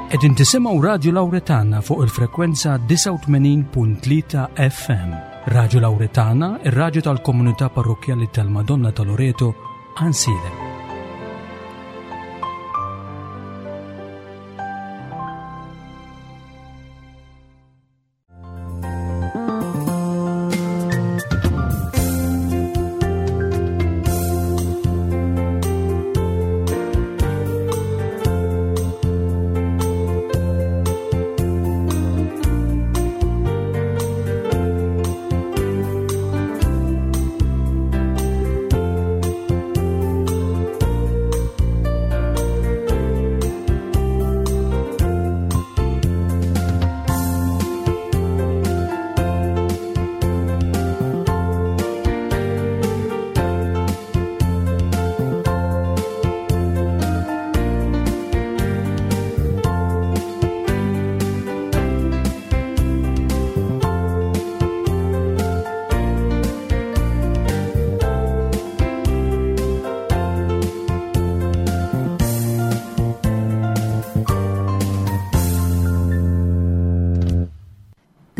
Qegħdin tisimgħu Radju Lawretana fuq il-frekwenza 89.3 FM. Radju Lawretana, ir-radju tal-komunità parrokkjali tal-Madonna ta' Loreto, Ansilem.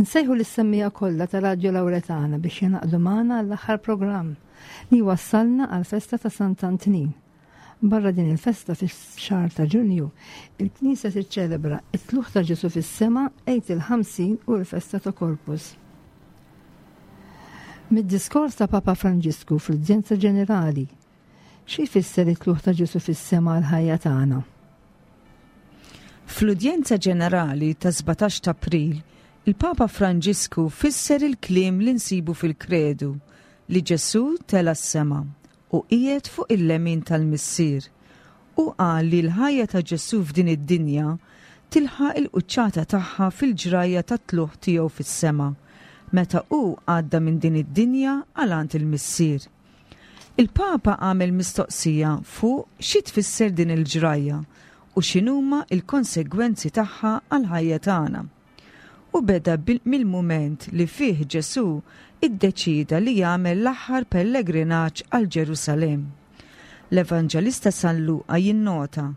Nsejħu lis-semmiegħa kollha ta' Radju Lawretana biex jingħaqdu magħna għall-aħħar programm li wassalna għall-festa ta' Sant'Antnin. Barra din il-festa fix-xahar ta' Ġunju, il-Knisja tiċċelebra it-tlugħ ta' Ġesu fis-sema, Għid il-Ħamsin u l-festa ta' Corpus. Mid-diskors ta' Papa Franġisku fl-Udjenza Ġenerali, xi jfisser it-tlugħ ta' Ġesu fis-sema għall-ħajja tagħna? Fl-Udjenza Ġenerali ta' 17 ta' April, il-Papa Franġisku fisser il-kliem li nsibu fil-Kredu li Ġesù tela' s-sema u qiegħed fuq il-lemin tal-Missier. Hu qal li l-ħajja ta' Ġesù f'din id-dinja tilħaq il-quċċata tagħha fil-ġrajja tat-tlugħ tiegħu fis-sema, meta hu għadda minn din id-dinja għal għand il-Missier. Il-Papa għamel mistoqsija fuq xi tfisser din il-ġrajja u x'inhuma l-konsegwenzi tagħha għall-ħajja tagħna. Hu beda mill-mument li fih Ġesù ddeċieda li jagħmel l-aħħar pellegrinaġġ għal Ġerusalemm. L-Evanġelista San Luqa jinnota,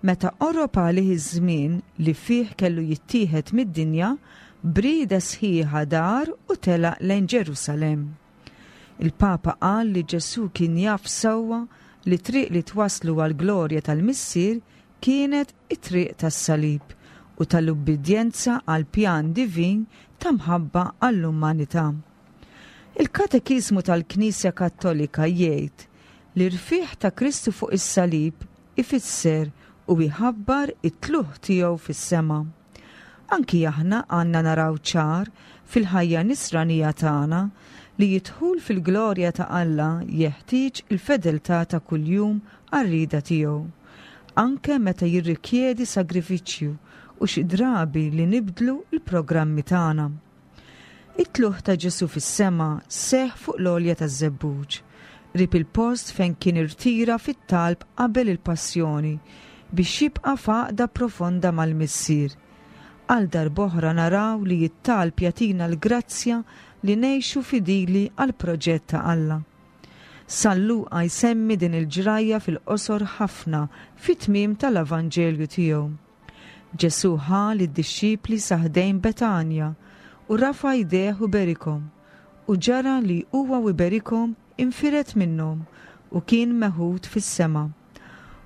Meta qorob għalih iż-żmien li fih kellu jittieħed mid-dinja, b'rieda sħiħa dar u telaq lejn Ġerusalemm. Il-Papa qal li Ġesù kien jaf sewwa li t-triq li twasslu għall-glorja tal-Missier kienet it-triq tas-salib u tal-ubbidjenza għall-pjan divin ta' mħabba għall-umanità. Il-Katekiżmu tal-Knisja Kattolika jgħid li r-rfigħ ta' Kristu fuq is-salib ifisser u jħabbar it-tlugħ tiegħu fis-sema. Anki aħna għandna naraw ċar fil-ħajja nisranija tagħna li d-dħul fil-glorja ta' Alla jeħtieġ il-fedeltà ta' kuljum għar-rieda tiegħu, anke meta jirrikjedi sagrifiċċju u xi drabi li nibdlu l-programmi tagħna. It-tlugħ ta' Ġesù fis-sema seħħ fuq l-għolja taż-Żebbuġ, qrib il-post fejn kien irtira fit-talb qabel il-Passjoni biex jibqa' f'għaqda profonda mal-Missier. Għal darb'oħra naraw li t-talb jagħtina l-grazzja li ngħixu fidili għall-proġett ta' Alla. San Luqa jsemmi din il-ġrajja fil-qosor ħafna fit-tmiem tal-Avanġelju tiegħu. Ġesù ħa lid-dixxipli sa ħdejn Betanja u rafa' jdejh u berikhom. U ġara li huwa u jberikhom infired minnhom u kien meħud fis-sema.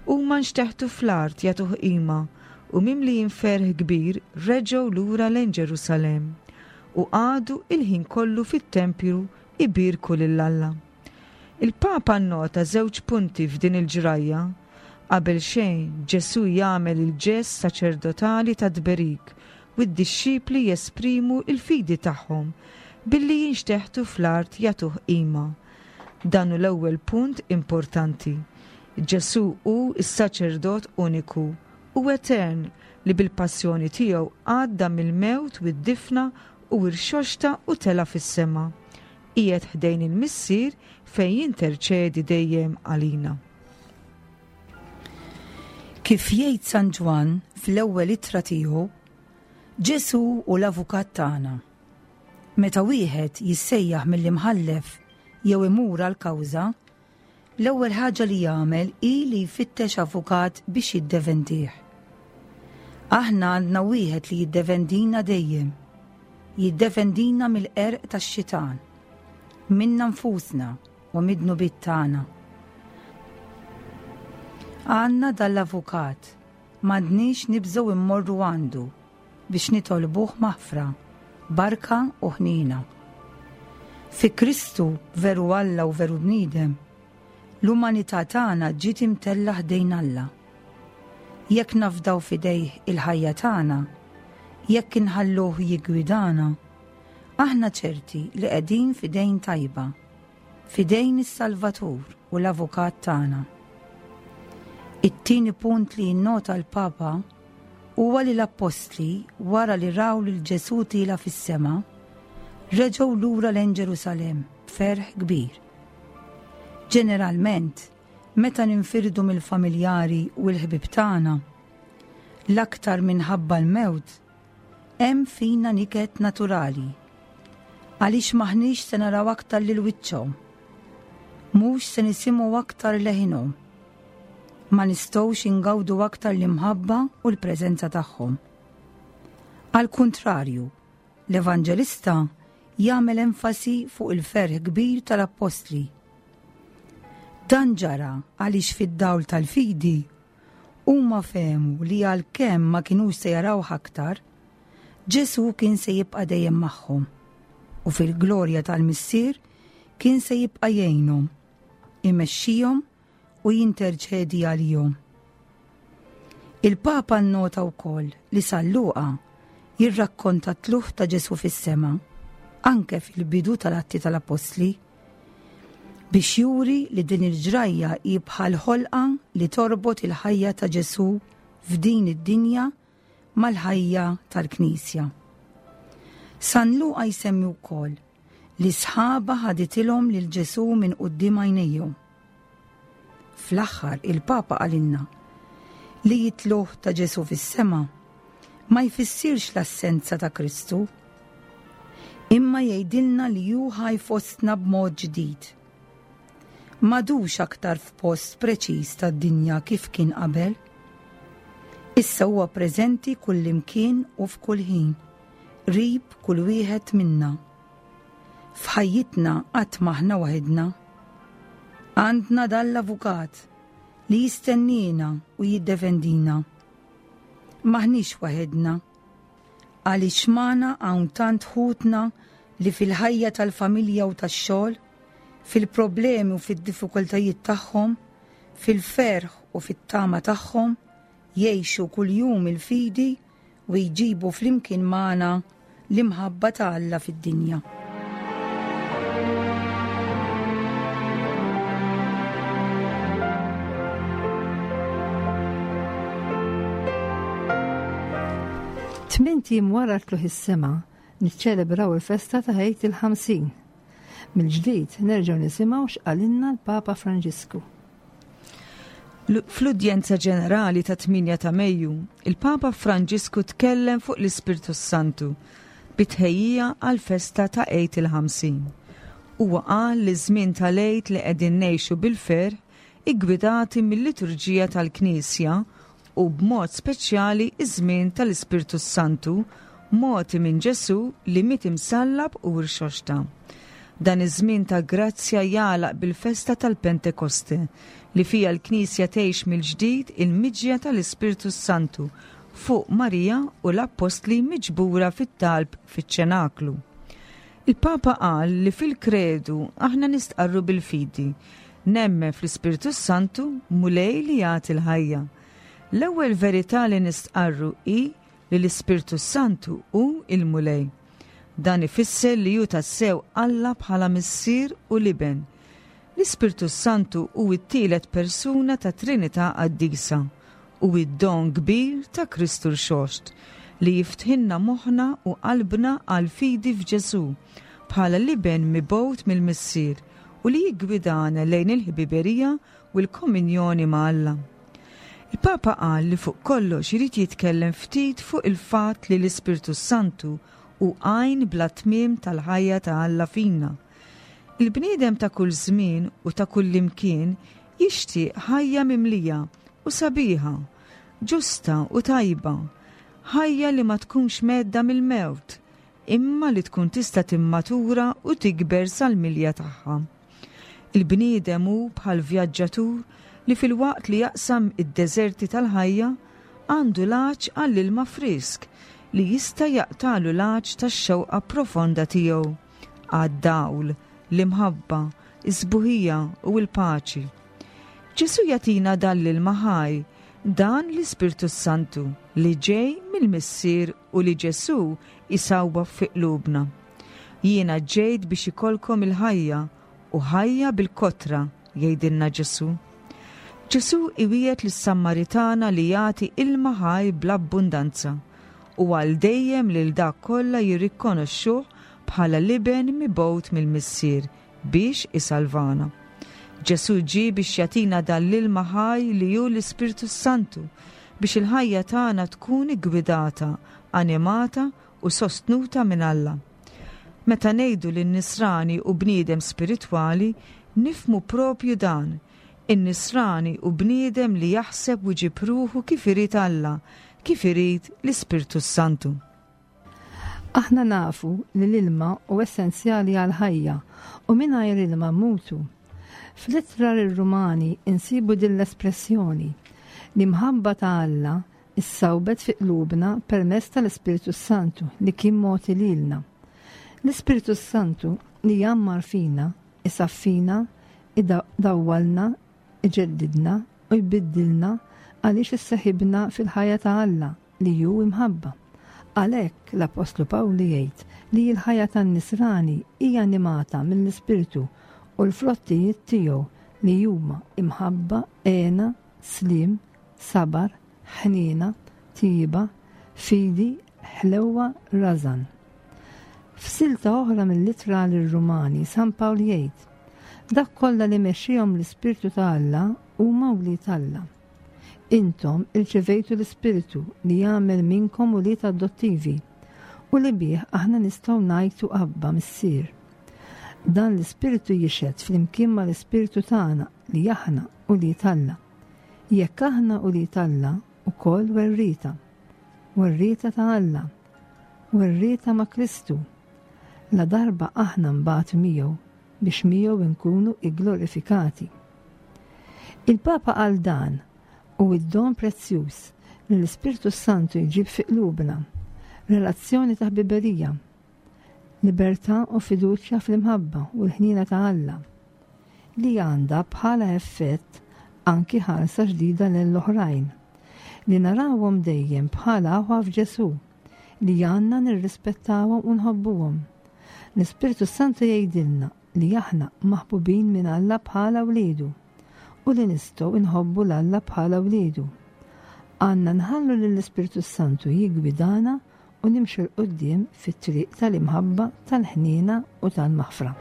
Huma nxteħtu fl-art jagħtuh qima u mimlijin ferħ kbir reġgħu lura lejn Ġerusalemm u qagħdu il-ħin kollu fit-tempju ibierku lil Alla. Il-Papa nnota żewġ punti f'din il-ġrajja. Qabel xejn, Ġesù jagħmel il-ġest saċerdotali tat-tberik u d-dixxipli jesprimu l-fidi tagħhom billi jinxteħtu fl-art jagħtuh qima. Dan hu l-ewwel punt importanti. Ġesù hu s-saċerdot uniku u etern li bil-passjoni tiegħu għadda mill-mewt u d-difna u rxoxta u tela' fis-sema. Qiegħed ħdejn il-Missier fejn jinterċedi dejjem għalina. Kif jgħid San Ġwann fl-ewwel ittra tiegħu, Ġesù hu l-avukat tagħna. Meta wieħed jissejjaħ mill-imħallef jew imur għal kawża, L-ewwel ħaġa li jagħmel hi li jfittex avukat biex jiddefendih. Aħna għandna wieħed li jiddefendina dejjem. Jiddefendina mill-qerq tax-xitan, minna nfusna u mid-dnubiet tagħna. Għandna dal-avukat, m'għandniex nibżgħu immorru għandu biex nitolbuh maħfra, barka u ħniena. Fi Kristu, veru Alla u veru bniedem, l-umanità tagħna ġiet imtellgħa ħdejn Alla. Jekk nafdaw f'idejh il-ħajja tagħna, jekk inħalluh jiggwidana, aħna ċerti li qegħdin f'idejn tajba, f'idejn is-Salvatur u l-Avukat tagħna. It-tieni punt li jinnota l-Papa huwa li l-appostli wara li raw lil Ġesù tiela' fis-sema, reġgħu lura lejn Ġerusalemm b'ferħ kbir. Ġeneralment, meta ninfirdu mill-familjari u l-ħbieb tagħna, l-aktar minħabba l-mewt, hemm fina niket naturali. Għaliex m'aħniex se naraw aktar lil wiċċhom. Mhux se nisimgħu aktar leħinhom. Ma nistgħux ingawdu aktar l-imħabba u l-preżenza tagħhom. Għall-kuntrarju, l-Evanġelista jagħmel enfasi fuq il-ferħ kbir tal-appostli. Dan ġara għaliex fid-dawl tal-fidi huma fehmu li għalkemm ma kinux se jarawh aktar, Ġesù kien se jibqa' dejjem magħhom u fil-glorja tal-Missier kien se jibqa' jgħinhom, imexxihom u jinterċedi għalihom. Il-Papa nnota wkoll li San Luqa jirrakkonta t-tlugħ ta' Ġesù fis-sema anke fil-bidu tal-Atti tal-Appostli biex juri li din il-ġrajja hi bħal ħolqa li torbot il-ħajja ta' Ġesù f'din id-dinja mal-ħajja tal-Knisja. San Luqa jsemmi wkoll li sħaba ħaditilhom lil Ġesù minn quddiem għajnejhom. Fl-aħħar il-Papa qalilna li jitluh ta' Ġesù fis-sema ma jfissirx l-assenza ta' Kristu, imma jgħidilna li hu ħaj fostna b'mod ġdid. M'għadux aktar f'post preċiż tad-dinja kif kien qabel. Issa huwa preżenti kullimkien u f'kull ħin, qrib kull wieħed minna. F'ħajjitna qatt m'aħna waħidna. Għandna dan l-avukat li jistenniena u jiddefendina. M'aħniex waħedna. Għaliex magħna hawn tant ħutna li fil-ħajja tal-familja u tax-xogħol, fil-problemi u fid-diffikultajiet tagħhom, fil-ferħ u fit-tama tagħhom, jgħixu kuljum il-fidi u jġibu flimkien magħna l-imħabba ta' Alla fid-dinja. Tmint ijiem wara tlugħ is-sema niċċelebraw il-festa ta' Għid il-50. Mill-ġdid nerġgħu nisimgħu x'qalilna l-Papa Franġisku. Fl-udjenza ġenerali ta' 8 ta' Mejju, il-Papa Franġisku tkellem fuq l-Ispirtu s-Santu bi tħejjija għall-festa ta' Għid il-50. Huwa qal li ż-żmien tal-Għid li qegħdin ngħixu bil-ferħ iggwidati mil-liturġija tal-Knisja u b'mod speċjali ż-żmien tal-Ispirtu s-Santu mogħti minn Ġesù li miet imsallab u rxoxta. Dan iż-żmien ta' grazzja jagħlaq bil-festa tal-Pentekoste, li fiha l-Knisja tgħix mill-ġdid il-miġja tal-Ispirtu s-Santu fuq Marija u l-Appostli miġbura fit-talb fiċ-Ċenaklu. Il-Papa qal li fil-Kredu aħna nistqarru bil-fidi, Nemmen fl-Ispirtu s-Santu, Mulej li jagħti l-ħajja. L-ewwel verità li nistqarru hi li l-Ispirtu s-Santu hu l-Mulej. Dan ifisser li hu tassew Alla bħala Missier u l-Iben. L-Ispirtu s-Santu hu t-tielet persuna tat-Trinità Qaddisa. Hu d-don kbir ta' Kristu Rxoxt li jiftħilna moħħna u qalbna għall-fidi f'Ġesù bħala l-Iben mibgħut mill-Missier u li jiggwidana lejn il-ħbiberija u l-komunjoni ma' Alla. Il-Papa qal li fuq kollox irid jitkellem ftit fuq il-fatt li l-Ispirtu s-Santu hu għajn bla tmiem tal-ħajja ta' Alla fina. Il-bniedem ta' kull żmien u ta' kullimkien jixtieq ħajja mimlija u sabiħa, ġusta u tajba. Ħajja li ma tkunx mhedda mill-mewt, imma li tkun tista' timmatura u tikber sal-milja tagħha. Il-bniedem hu bħal vjaġġatur li filwaqt li jaqsam id-deżerti tal-ħajja, għandu l-għatx għall-ilma frisk li jista' jaqtagħlu l-għatx tax-xewqa profonda tiegħu għad-dawl, l-imħabba, is-sbuħija u l-paċi. Ġesù jagħtina dan l-ilma ħaj, dan l-Ispirtu s-Santu li ġej mill-Missier u li Ġesù jsawwab fi qlubna. Jiena ġejt biex ikollkom il-ħajja u ħajja bil-kotra, jgħidilna Ġesù. Ġesù iwiegħed lis-Sammaritana li jagħti ilma ħaj bl-abbundanza u għal dejjem lil dak kollha jirrikkonoxxuh bħala l-Iben mibgħut mill-Missier biex isalvana. Ġesù ġie biex jagħtina dan l-ilma ħaj li hu l-Ispirtu s-Santu biex il-ħajja tagħna tkun iggwidata, animata u sostnuta minn Alla. Meta ngħidu li n-Nisrani hu bniedem spiritwali, nifhmu proprju dan, in-Nisrani hu bniedem li jaħseb u jġib ruħu kif irid Alla, kif irid l-Ispirtu s-Santu. Aħna nafu li l-ilma hu essenzjali għall-ħajja u mingħajr ilma mmutu. Fl-ittra lir-Rumani insibu din l-espressjoni, L-imħabba ta' Alla issawbet fi qlubna permezz tal-Ispirtu s-Santu li kien mogħti lilna. L-Ispirtu s-Santu li jgħammar fina, isaffina, idawwalna, iġeddidna u jbiddilna għaliex isseħibna fil-ħajja ta' Alla li hu imħabba. Għalhekk l-Appostlu Pawlu jgħid li l-ħajja tan-Nisrani hija animata mill-Ispirtu u l-frottijiet tiegħu li huma imħabba, hena, sliem, sabar, ħniena, tjieba, fidi, ħlewwa, rażan. F'silta oħra mill-Ittra lir-Rumani, San Pawl jgħid, Dak kollha li mexxiehom l-Ispirtu ta' Alla huma wlied Alla. Intom irċevejtu l-Ispirtu li jagħmel minnkom ulied adottivi u li bih aħna nistgħu ngħajtu Abba, Missier. Dan l-Ispirtu jixhed flimkien mal-ispirtu tagħna li aħna ulied Alla. Jekk aħna ulied Alla, ukoll werrieta. Werrieta ta' Alla. Werrieta ma' Kristu. Ladarba aħna nbatu miegħu, biex miegħu nkunu igglorifikati. Il-Papa qal dan hu d-don prezzjuż li l-Ispirtu s-Santu jġib fi qlubna, relazzjoni ta' ħbiberija, libertà u fiduċja fl-imħabba u l-ħniena ta' Alla, li għandha bħala effett anki ħarsa ġdida lejn l-oħrajn, li narawhom dejjem bħala aħwa f'Ġesù, li għandna nirrispettawhom u nħobbuhom. L-Ispirtu s-Santu jgħidilna li aħna maħbubin minn Alla bħala wliedu u li nistgħu nħobbu 'l Alla bħala wliedu. Għandna nħallu lill-Ispirtu s-Santu jiggwidana u nimxu 'l quddiem fit-triq tal-imħabba, tal-ħniena u tal-maħfra.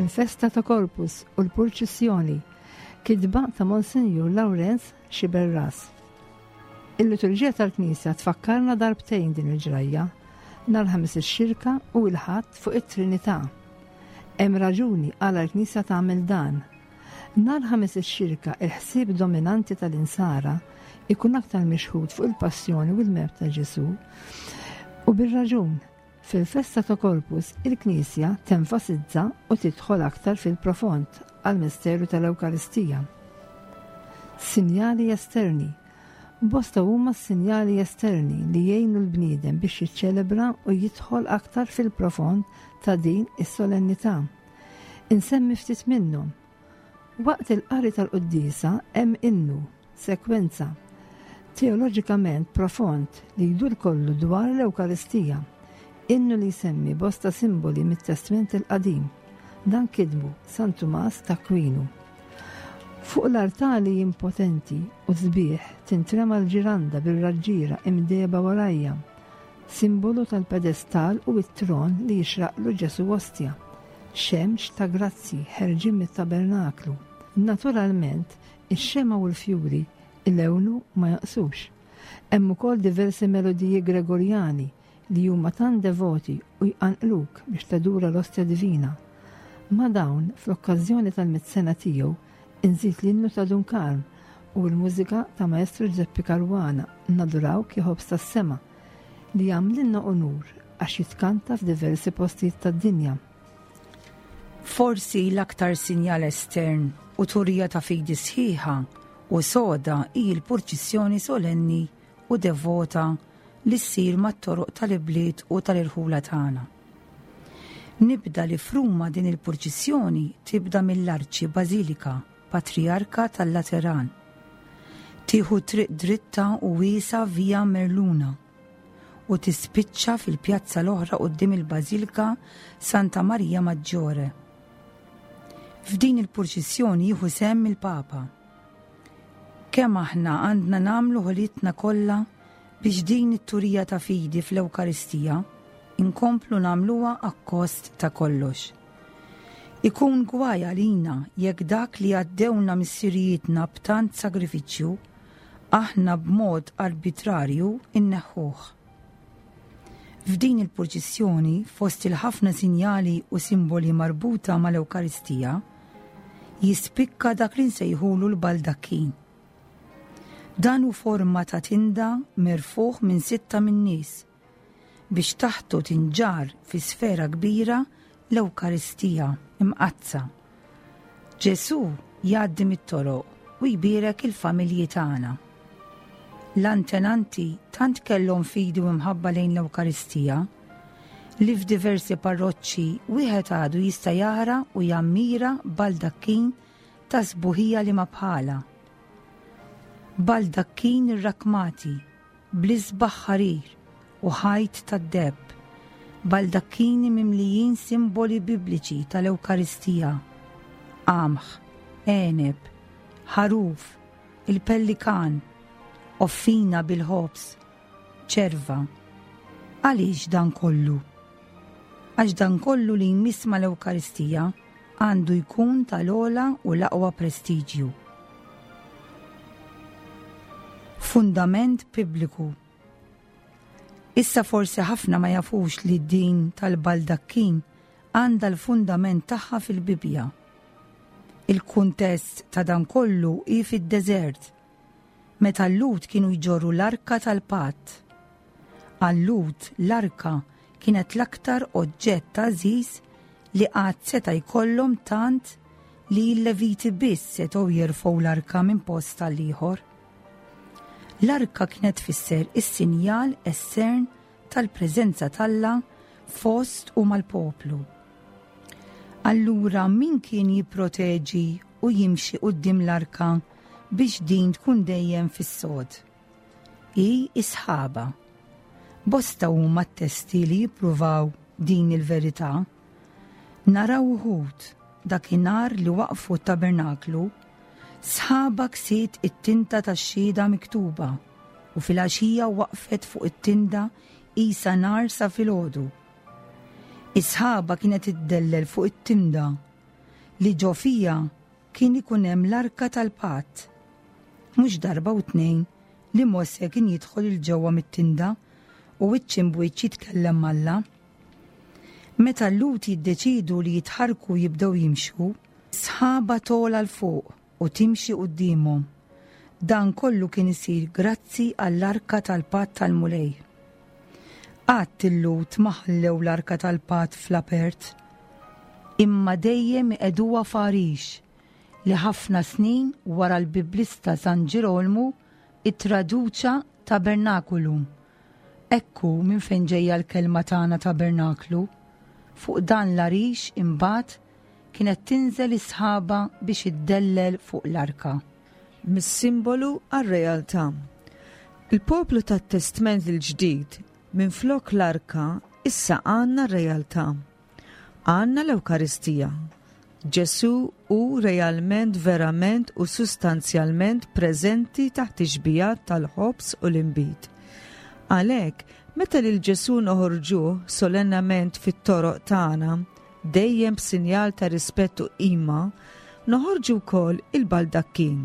Il-festa ta' Corpus u l-purċissjoni, kitba ta' Monsinjur Lawrenz Sciberras. Il-liturġija tal-Knisja tfakkarna darbtejn din il-ġrajja, nhar Ħamis ix-Xirka u l-Ħadd fuq it-Trinità. Hemm raġuni għala l-Knisja tagħmel dan. Nhar Ħamis ix-Xirka il-ħsieb dominanti tal-Insara ikun aktar mixħut fuq il-passjoni u l-mewt ta' Ġesù. U bir-raġun, Fil-festa ta' Corpus, il-Knisja tenfasizza u tidħol aktar fil-profond għall-misteru tal-Ewkaristija. Sinjali esterni Bosta huma s-sinjali esterni li jgħinu l-bniedem biex jiċċelebra u jidħol aktar fil-profond ta' din is-solennità. Insemmi ftit minnhom. Waqt il-qari tal-quddiesa hemm innu, sekwenza, teoloġikament profond li jdur kollu dwar l-Ewkaristija, innu li jsemmi bosta simboli mit-Testment il-Qadim. Dan kitbu San Tumas t'Akwinu. Fuq l-artali impotenti u sbieħ tintrema l-ġiranda bir-raġġiera imdehba warajja, simbolu tal-pedestal u t-tron li jixraqlu Ġesù Ostja, xemx ta' grazzji ħerġin mit-tabernaklu. Naturalment, Ix-xemgħa u l-fjuri ilewnu ma jonqsux. Hemm ukoll diversi melodiji Gregorjani li huma tant devoti u jqanqluk biex tadura l-Ostja Divina. Ma' dawn, fl-okkażjoni tal-mitt sena tiegħu, inżid l-innu ta' Dun Karm u l-mużika ta' Maestro Ġużeppi Caruana, Nadurawk ja Ħobż tas-Sema, li jagħmlilna unur għax jitkanta f'diversi postijiet tad-dinja. Forsi l-aktar sinjal estern u turija ta' fidi sħiħa u soda hi l-purċissjoni solenni u devota li ssir mat-toroq tal-ibliet u tal-irħula tagħna. Nibda li f'Ruma din il-purċissjoni tibda mill-Arċi Bażilika Patrijarka tal-Lateran. Tieħu triq dritta u wiesgħa Via Merluna u tispiċċa fil-pjazza l-oħra quddiem il-Bażilika Santa Maria Maggiore. F'din il-purċissjoni jieħu sehem il-Papa. Kemm aħna għandna nagħmlu ħolitna kollha biex din it-turija ta' fidi fl-Ewkaristija nkomplu nagħmluha akkost ta' kollox. Ikun gwaj għalina jekk dak li għaddewna missirijietna b'tant sagrifiċċju, aħna b'mod arbitrarju nneħħuh. F'din il-purċissjoni, fost il-ħafna sinjali u simboli marbuta mal-Ewkaristija, jispikka dak li nsejħulu l-baldakkin. Dan hu forma ta' tinda merfugħ minn sitta min-nies biex taħtu tinġarr fi sfera kbira l-Ewkaristija Mqaddsa. Ġesù jgħaddi mit-toroq u jbierek il-familji tagħna. L-antenanti tant kellhom fidi u mħabba lejn l-Ewkaristija li f'diversi parroċċi wieħed għadu jista' jara u jammira baldakkin ta' sbuħija li ma bħala. Baldakkin irrakkmati bl-isbaħ ħarir u ħajt tad-deheb, baldakkini mimlijin simboli bibliċi tal-Ewkaristija, qamħ, għeneb, ħaruf, il-pellikan, offina bil-ħobż, ċerva. Għaliex dan kollu? Għax dan kollu li jmiss mal-Ewkaristija għandu jkun tal-ogħla u l-aqwa prestiġju. Fundament Bibliku Issa forsi ħafna ma jafux li din tal-baldakkin għandha l-fundament tagħha fil-Bibbja. Il-kuntest ta' dan kollu hi fid-deżert, meta l-Lhud kienu jġorru l-Arka tal-Patt. Għal-Lhud l-Arka kienet l-aktar oġġett għażiż li qatt seta' jkollhom tant li l-Leviti biss setgħu jerfgħu l-Arka minn post għal ieħor. L-Arka kienet tfisser is-sinjal estern tal-preżenza t'Alla fost u mal-poplu. Allura min kien jipproteġi u jimxi quddiem l-Arka biex din tkun dejjem fis-sod? Hi s-sħaba. Bosta huma t-testi li jippruvaw din il-verità. Naraw uħud dakinhar li waqqfu t-tabernaklu, sħaba ksiet it-tinta tax-xhieda miktuba u filgħaxija waqfet fuq it-tinda qisha nar sa filgħodu. Is-sħaba kienet iddellel fuq it-tinda li ġo fiha kien ikun hemm l-Arka tal-Patt. Mhux darba u tnejn li Mosè kien jidħol 'il ġewwa mit-tinda u wiċċ imb'wiċċ jitkellem m'Alla. Meta l-Lhud jiddeċiedu li jitħarrku u jibdew jimxu, sħaba togħla 'l fuq u timxi quddiemhom. Dan kollu kien isir grazzi għall-Arka tal-Patt tal-Mulej. Qatt il-Lhud ma ħallew l-Arka tal-Patt fl-apert, imma dejjem iqegħduha f'għarix li ħafna snin wara l-Biblista San Ġirolmu ttraduċa tabernaculum. Hekk hu minn fejn ġejja l-kelma tagħna tabernaklu. Fuq dan l-għarix imbagħad kienet tinżel is-sħaba biex iddellel fuq l-arka. Mis-simbolu għar-realtà. Il-poplu tat-Testment il-Ġdid, minflok l-arka, issa għandna r-realtà. Għandna l-Ewkaristija. Ġesù hu realment, verament u sustanzjalment preżenti taħt ix-xbijat tal-ħobż u l-inbid. Għalhekk, meta lil Ġesù noħorġuh solennament fit-toroq tagħna, dejjem b'sinjal ta' rispett u qima, noħorġu wkoll il-baldakkin.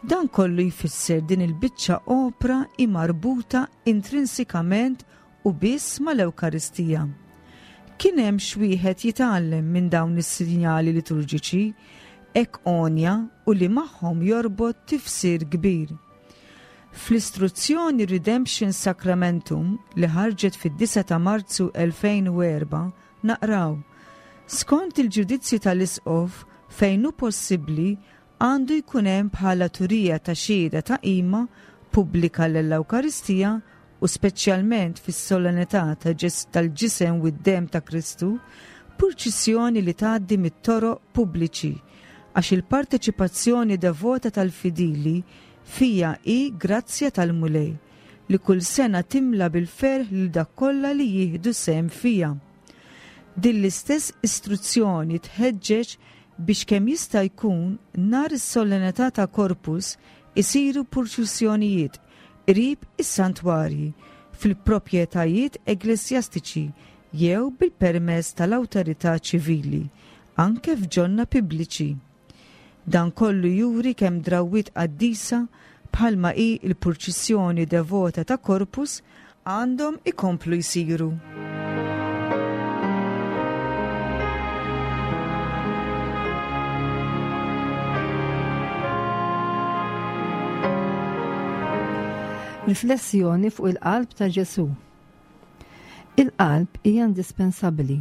Dan kollu jfisser din il-biċċa opra hi marbuta intrinsikament u biss mal-Ewkaristija. Kien hemm x'wieħed jitgħallem minn dawn is-sinjali liturġiċi hekk għonja u li magħhom jorbot tifsir kbir. Fl-istruzzjoni Redemption Sacramentum li ħarġet fid-9 ta' Marzu 2004 naqraw, Skont il-ġudizzju tal-Isqof, fejn hu possibbli, għandu jkun hemm bħala turija ta' xhieda ta' qima pubblika lill-Ewkaristija u speċjalment fis-solennità tal-Ġisem u d-Demm ta' Kristu, purċissjoni li tgħaddi mit-toroq pubbliċi, għax il-parteċipazzjoni devota tal-fidili fiha hi grazzja tal-Mulej, li kull sena timla bil-ferħ lil dak kollha li jieħdu sehem fiha. Din l-istess istruzzjoni tħeġġeġ biex kemm jista' jkun nhar is-solennità ta' Corpus isiru purċissjonijiet qrib is-santwarji fil-proprjetajiet eglesjastiċi jew bil-permess tal-awtorità ċivili, anke f'ġonna pubbliċi. Dan kollu juri kemm drawwiet qaddisa bħalma hi l-purċissjoni devota ta' Corpus għandhom ikomplu jsiru. Riflessjoni fuq il-qalb ta' Ġesù. Il-qalb hija indispensabbli.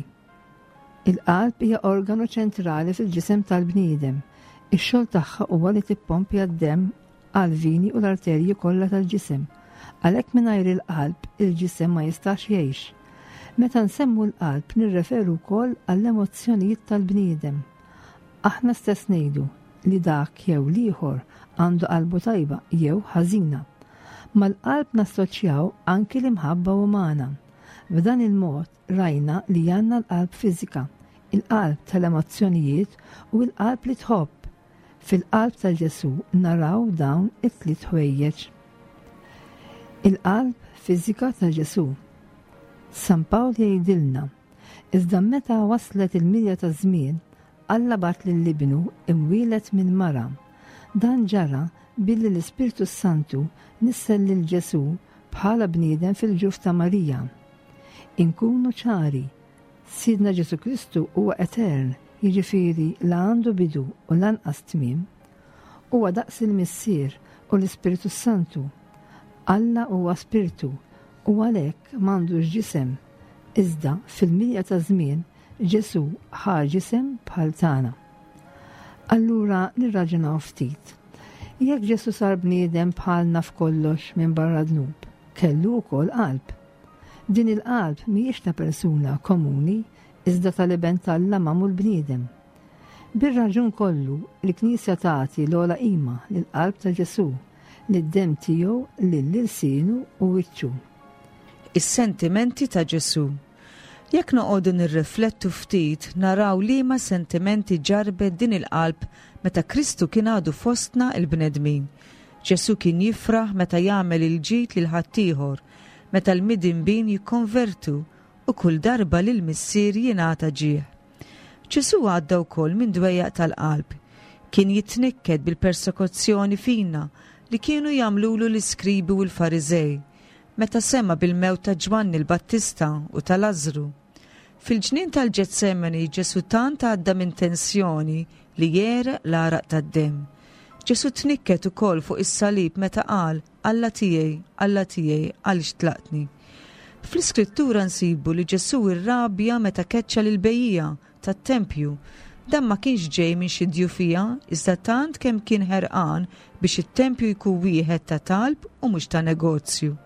Il-qalb hija organu ċentrali fil-ġisem tal-bniedem. Ix-xogħol tagħha huwa li tippompja d-demm għall-vini u l-arterji kollha tal-ġisem. Għalhekk mingħajr il-qalb, il-ġisem ma jistax jgħix. Meta nsemmu l-qalb nirreferu wkoll għall-emozzjonijiet tal-bniedem. Aħna stess ngħidu li dak jew l-ieħor għandu qalbu tajba jew ħażina. Mal-qalb nassoċjaw anki l-imħabba umana. B'dan il-mod rajna li għandna l-qalb fiżika, il-qalb tal-emozzjonijiet u l-qalb li tħobb. Fil-qalb ta' Ġesù naraw dawn it-tliet ħwejjeġ. Il-qalb fiżika ta' Ġesù. San Pawl jgħidilna, Iżda meta waslet il-milja taż-żmien, Alla bagħat lil Ibnu imwieled minn mara. Dan ġara billi l-Ispirtu s-Santu nissel lil Ġesù bħala bniedem fil-ġuf ta' Marija. Inkunu ċari, Sidna Ġesù Kristu huwa etern, jiġifieri la għandu bidu u lanqas tmiem. Huwa daqs il-Missier u l-Ispirtu s-Santu. Alla huwa Spirtu u għalhekk m'għandux ġisem. Iżda fil-milja taż-żmien Ġesù ħa ġisem bħal tagħna. Allura nirraġunaw ftit. Jekk Ġesù sar bniedem bħalna f'kollox minbarra dnub, kellu wkoll qalb. Din il-qalb mhijiex ta' persuna komuni iżda tal-Iben t'Alla magħmul bniedem. Bir-raġun kollu, il-Knisja tagħti l-ogħla qima lill-qalb ta' Ġesù, lid-demm tiegħu, lil ilsienu u wiċċu. Is-sentimenti ta' Ġesù. Jekk noqogħdu nirriflettu ftit naraw liema sentimenti ġarrbet din il-qalb meta Kristu kien għadu fostna l-bnedmin. Ġesù kien jifraħ meta jagħmel il-ġid lil ħaddieħor, meta l-midinbin jikkonvertu u kull darba li l-Missier jingħata ġieħ. Ġesù għadda wkoll minn dwejjaq tal-qalb. Kien jitnikket bil-persekuzzjoni fina li kienu jagħmlulu l-iskribi u l-Fariżej meta sema' bil-mewt ta' Ġwanni l-Battista u ta' Lażżru. Fil-ġnien tal-Ġetsemani Ġesù tant għadda minn tensjoni li għereq l-għaraq tad-demm. Ġesù tnikket ukoll fuq is-salib meta qal, Alla tiegħi, Alla tiegħi, għaliex tlaqtni? Fl-Iskrittura nsibu li Ġesù rrabja meta keċċa lill-bejjiegħa tat-tempju. Dan ma kienx ġej minn xi djufija, iżda tant kemm kien ħerqan biex it-tempju jkun wieħed ta' talb u mhux ta' negozju.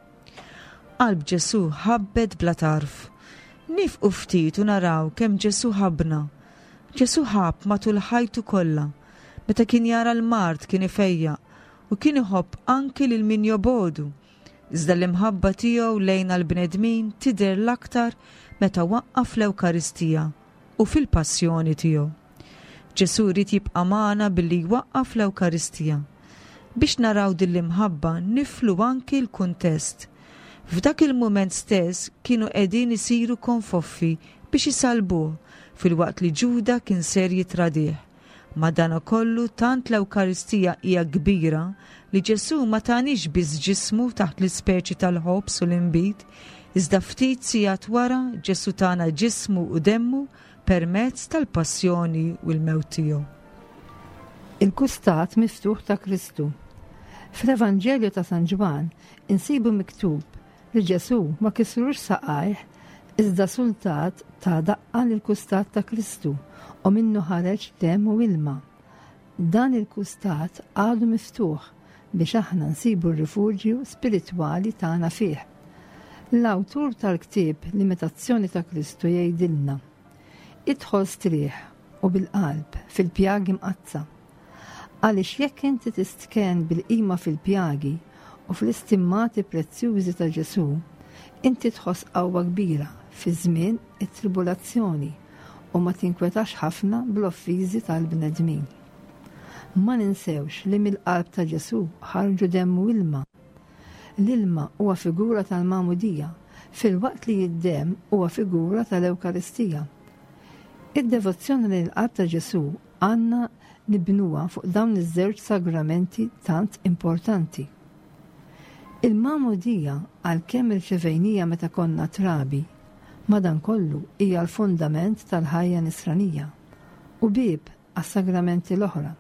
Qalb Ġesù ħabbet bla tarf. Niefqu ftit u naraw kemm Ġesù ħabbna. Ġesù ħabb matul ħajtu kollha. Meta kien jara l-mard kien ifejjaq u kien iħobb anki lil min jobogħdu. Iżda l-imħabba tiegħu lejna l-bnedmin tidher l-aktar meta waqqaf l-Ewkaristija u fil-passjoni tiegħu. Ġesù ried jibqa' magħna billi jwaqqaf l-Ewkaristija. Biex naraw din l-imħabba niflu anki l-kuntest. F'dak il-mument stess kienu qegħdin isiru konfoffi biex isallbuh filwaqt li Ġuda kien ser jittradih. Madanakollu tant l-Ewkaristija hija kbira li Ġesù ma taniex biss ġismu taħt l-ispeċi tal-ħobż u l-inbid, Iżda ftit sigħat wara Ġesù tana ġismu u demmu permezz tal-passjoni u l-mewt tiegħu. Il-kustat miftuħ ta' Kristu. Fl-Evanġelju ta' San Ġwann insibu miktub li Ġesù ma kisrux saqajh iżda sultat ta daqqa lill-kustat ta' Kristu u minnu ħareġ demm u ilma. Dan il-kustat għadu miftuħ biex aħna nsibu r-rifuġju spiritwali tagħna fih. L-awtur tal-ktieb L-Imitazzjoni ta' Kristu jgħidilna, Idħol strieħ u bil-qalb fil-pjagi mqaddsa. Għaliex jekk inti tistkenn bil-qima fil-pjagi u fl-istimmati prezzjużi ta' Ġesù, inti tħoss qawwa kbira fi żmien it-tribulazzjoni u ma tinkwetax ħafna bl-offiżi tal-bnedmin. Ma ninsewx li mill-qalb ta' Ġesù ħarġu demm u ilma. L-ilma huwa figura tal-Magħmudija, filwaqt li d-demm huwa figura tal-Ewkaristija. Id-devozzjoni lejn il-qalb ta' Ġesù għandna nibnuha fuq dawn iż-żewġ sagramenti tant importanti. Il-Magħmudija, għalkemm irċevejnija meta konna trabi, madankollu hija l-fundament tal-ħajja nisranija u bieb għas-sagramenti l-oħra.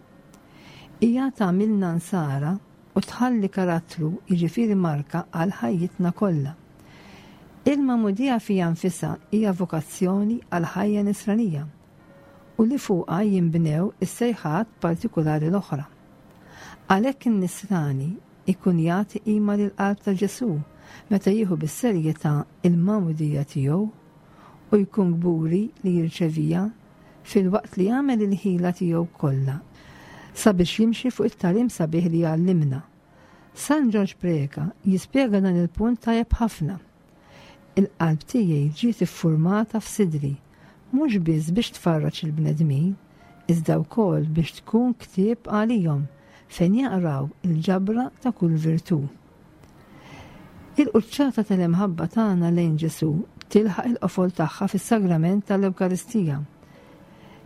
Hija tagħmilna nsara u tħalli karattru jiġifieri marka għal ħajjitna kollha. Il-Magħmudija fiha nfisha hija vokazzjoni għall-ħajja nisranija u li fuqha jinbnew is-sejħat partikulari l-oħra. Għalhekk in-nisrani jkun jagħti qima lill-qalb ta' Ġesù meta jieħu bis-serjetà l-magħmudija tiegħu u jkun kburi li jirċeviha filwaqt li jagħmel il-ħila tiegħu kollha sabiex jimxi fuq it-tagħlim sabiħ li għallimna. San Ġorġ Preca jispjega dan il-punt tajjeb ħafna. Il-qalb tiegħi ġiet iffurmata f'sidri, mhux biss biex tfarraġ il-bnedmin, iżda wkoll biex tkun ktieb għalihom fejn jaqraw il-ġabra ta' kull virtù. Il-quċċata tal-imħabba tagħna lejn Ġesù tilħaq il-qofol tagħha fis-sagrament tal-Ewkaristija,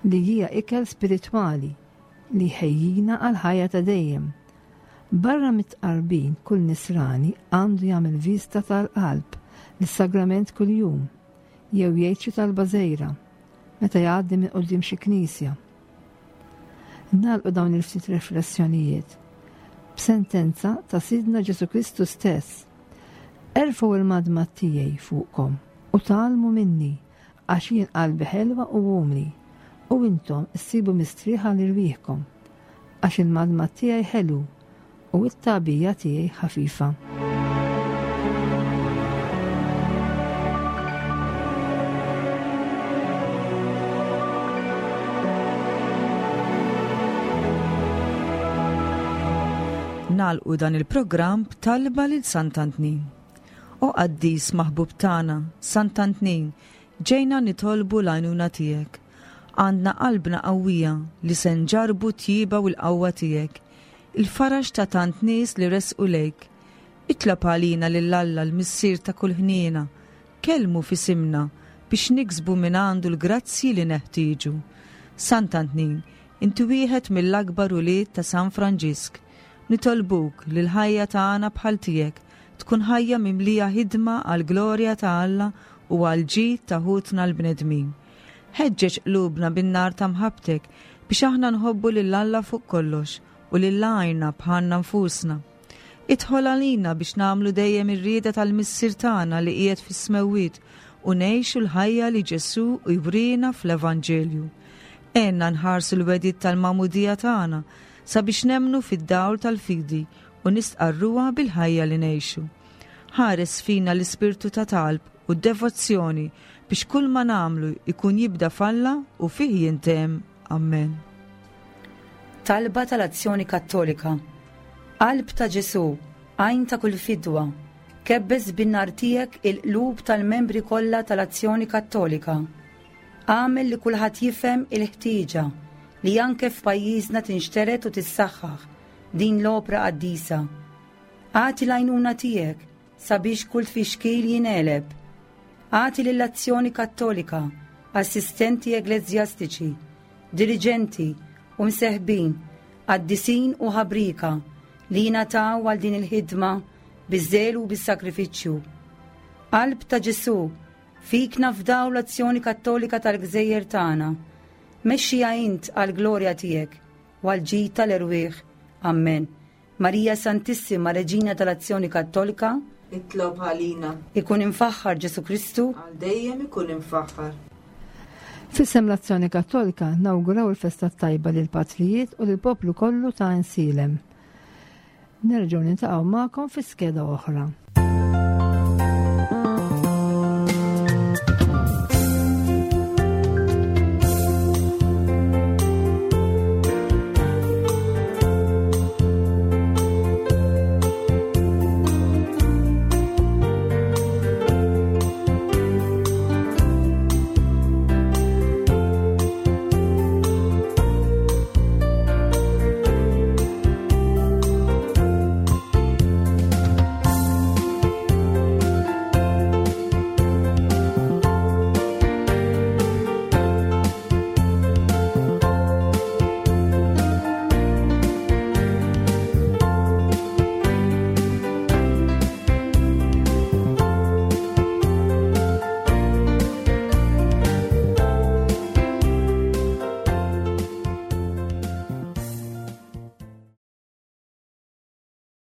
li hija ikel spiritwali li jħejjina għall-ħajja ta' dejjem. Barra mit-tqarbin kull nisrani għandu jagħmel vista tal-qalb lis-sagrament kuljum jew jgħid xi talba żgħira meta jgħaddi minn quddiem xi knisja. Nagħlqu dawn il-ftit riflessjonijiet b'sentenza ta' Sidna Ġesù Kristu stess. Erfgħu il-madmad tiegħi fuqkom u tgħallmu minni għax jien qalbi ħelwa u umli u intom issibu mistrieħ għal irwieħkom għax il-madmad tiegħi ħelu u t-tagħbija tiegħi ħafifa. Nagħlqu dan il-programm b'talba lil Sant'Antnin. O qaddis maħbub tagħna, Sant'Antnin, ġejna nitolbu l-għajnuna tiegħek. Għandna qalbna qawwija li se nġarrbu t-tjieba u l-qawwa tiegħek. Il-faraġ ta' tant nies li resqu lejk. Itlob għalina lil Alla l-Missier ta' kull ħniena. Kellmu f'isimna biex niksbu mingħandu l-grazzji li neħtieġu. Sant'Antnin, inti wieħed mill-akbar ulied ta' San Franġisk. Nitolbuk li l-ħajja tagħna bħal tiegħek tkun ħajja mimlija ħidma għall-glorja ta' Alla u għall-ġid ta' ħutna l-bnedmin. Ħeġġeġ qlubna bin-nar ta' mħabbtek biex aħna nħobbu lil Alla fuq kollox u lil għajrna bħalna nfusna. Idħol għalina biex nagħmlu dejjem ir-rieda tal-Missier tagħna li qiegħed fis-smewwiet u ngħixu l-ħajja li Ġesù jwriena fl-Evanġelju. Għenna nħarsu l-wegħdiet tal-magħmudija tagħna sabiex nemmnu fid-dawl tal-fidi u nistqarruha bil-ħajja li ngħixu. Ħares fina l-ispirtu ta' talb u devozzjoni biex kull ma nagħmlu jkun jibda f'Alla u fih jintemm. Ammen. Talba tal-Azzjoni Kattolika Qalb ta' Ġesù, għajn ta' kull fidwa, kebbes bin-nar tiegħek il-qlub tal-membri kollha tal-Azzjoni Kattolika. Agħmel li kulħadd jifhem il-ħtieġa li anke f'pajjiżna tinxtered u tissaħħaħ din l-opra qaddisa. Agħti l-għajnuna tiegħek sabiex kull tfixkil jingħeleb. Agħti lill-Azzjoni Kattolika assistenti eglezjastiċi, diriġenti u mseħbin, qaddisin u ħabrieka li jingħataw għal din il-ħidma biż-żelu u bis-sagrifiċċju. Qalb ta' Ġesù, fik nafdaw l-azzjoni kattolika tal-gżejjer tagħna. Mexxiha int għall-glorja tiegħek u għall-ġid tal-erwieħ. Ammen. Marija Santissima, Reġina tal-Azzjoni Kattolika, Itlob għalina. Ikun imfaħħar Ġesù Kristu. Għal dejjem ikun imfaħħar. F'isem l-Azzjoni Kattolika nawguraw il-festa t-tajba lill-patrijiet u lill-poplu kollu ta' Għajnsielem. Nerġgħu niltaqgħu magħkom fi skeda oħra.